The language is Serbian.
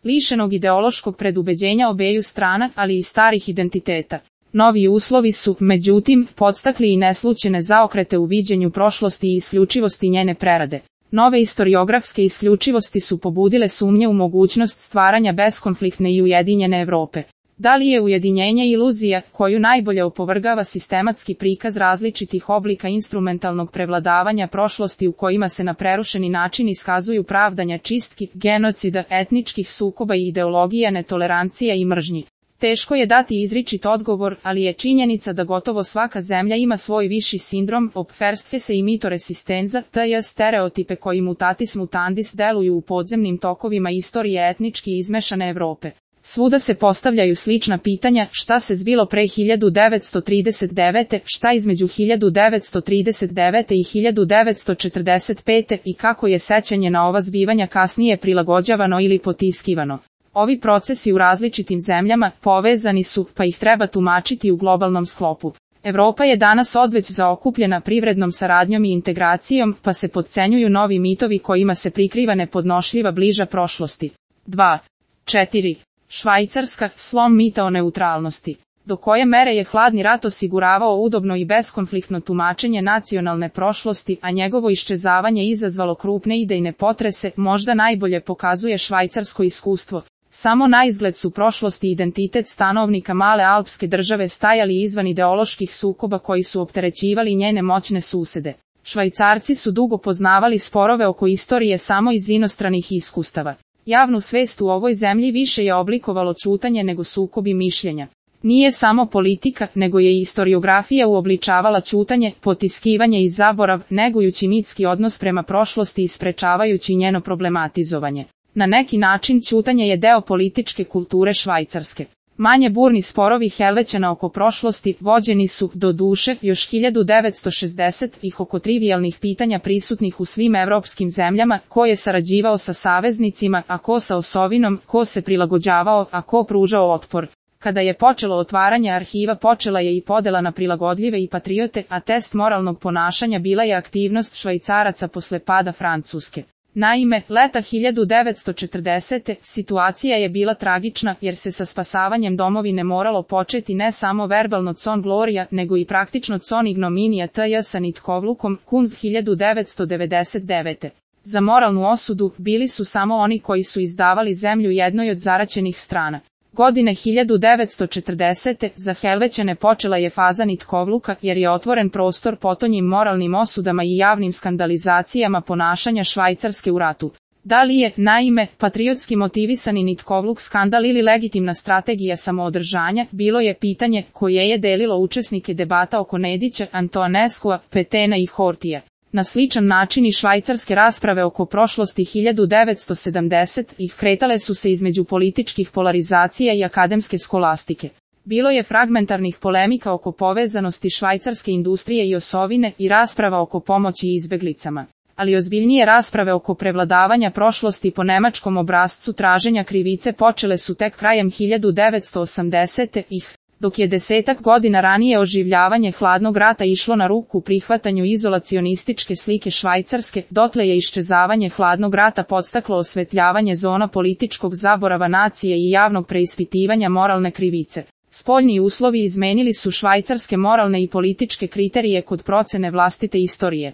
lišenog ideološkog predubeđenja obeju strana, ali i starih identiteta. Novi uslovi su, međutim, podstakli i neslućene zaokrete u viđenju prošlosti i isključivosti njene prerade. Nove istoriografske isključivosti su pobudile sumnje u mogućnost stvaranja beskonfliktne i ujedinjene Evrope. Da li je ujedinjenje iluzija, koju najbolje opovrgava sistematski prikaz različitih oblika instrumentalnog prevladavanja prošlosti u kojima se na prerušeni način iskazuju pravdanja čistki, genocida, etničkih sukoba i ideologija netolerancija i mržnji? Teško je dati izričit odgovor, ali je činjenica da gotovo svaka zemlja ima svoj viši sindrom, obferstfese i mito resistenza, tj. stereotipe koji mutatis mutandis deluju u podzemnim tokovima istorije etnički izmešane Evrope. Svuda se postavljaju slična pitanja, šta se zbilo pre 1939, šta između 1939. i 1945. i kako je sećanje na ova zbivanja kasnije prilagođavano ili potiskivano. Ovi procesi u različitim zemljama povezani su, pa ih treba tumačiti u globalnom sklopu. Evropa je danas odveć zaokupljena privrednom saradnjom i integracijom, pa se potcenjuju novi mitovi kojima se prikriva nepodnošljiva bliža prošlosti. 2. 4. Švajcarska, slom mita o neutralnosti. Do koje mere je hladni rat osiguravao udobno i beskonfliktno tumačenje nacionalne prošlosti, a njegovo iščezavanje izazvalo krupne idejne potrese, možda najbolje pokazuje švajcarsko iskustvo. Samo naizgled su prošlost i identitet stanovnika male alpske države stajali izvan ideoloških sukoba koji su opterećivali njene moćne susede. Švajcarci su dugo poznavali sporove oko istorije samo iz inostranih iskustava. Javnu svest u ovoj zemlji više je oblikovalo ćutanje nego sukobi mišljenja. Nije samo politika, nego je i istoriografija uobličavala ćutanje, potiskivanje i zaborav, negujući mitski odnos prema prošlosti i sprečavajući njeno problematizovanje. Na neki način ćutanje je deo političke kulture Švajcarske. Manje burni sporovi Helvećana oko prošlosti vođeni su, do duše, još 1960-ih oko trivijalnih pitanja prisutnih u svim evropskim zemljama, ko je sarađivao sa saveznicima, a ko sa osovinom, ko se prilagođavao, a ko pružao otpor. Kada je počelo otvaranje arhiva, počela je i podela na prilagodljive i patriote, a test moralnog ponašanja bila je aktivnost Švajcaraca posle pada Francuske. Naime, leta 1940. situacija je bila tragična jer se sa spasavanjem domovine moralo početi ne samo verbalno con gloria, nego i praktično con ignominija tj. sa nitkovlukom, Kunz 1999. Za moralnu osudu bili su samo oni koji su izdavali zemlju jednoj od zaraćenih strana. Godine 1940. za Helvećane počela je faza nitkovluka jer je otvoren prostor potonjim moralnim osudama i javnim skandalizacijama ponašanja Švajcarske u ratu. Da li je, naime, patriotski motivisani nitkovluk skandal ili legitimna strategija samoodržanja, bilo je pitanje koje je delilo učesnike debata oko Nedića, Antoaneskua, Petena i Hortija. Na sličan način i švajcarske rasprave oko prošlosti 1970-ih kretale su se između političkih polarizacija i akademske skolastike. Bilo je fragmentarnih polemika oko povezanosti švajcarske industrije i osovine i rasprava oko pomoći izbeglicama. Ali ozbiljnije rasprave oko prevladavanja prošlosti po nemačkom obrascu traženja krivice počele su tek krajem 1980-ih. Dok je 10 godina ranije oživljavanje hladnog rata išlo na ruku prihvatanju izolacionističke slike Švajcarske, dotle je iščezavanje hladnog rata podstaklo osvetljavanje zona političkog zaborava nacije i javnog preispitivanja moralne krivice. Spoljni uslovi izmenili su švajcarske moralne i političke kriterije kod procene vlastite istorije.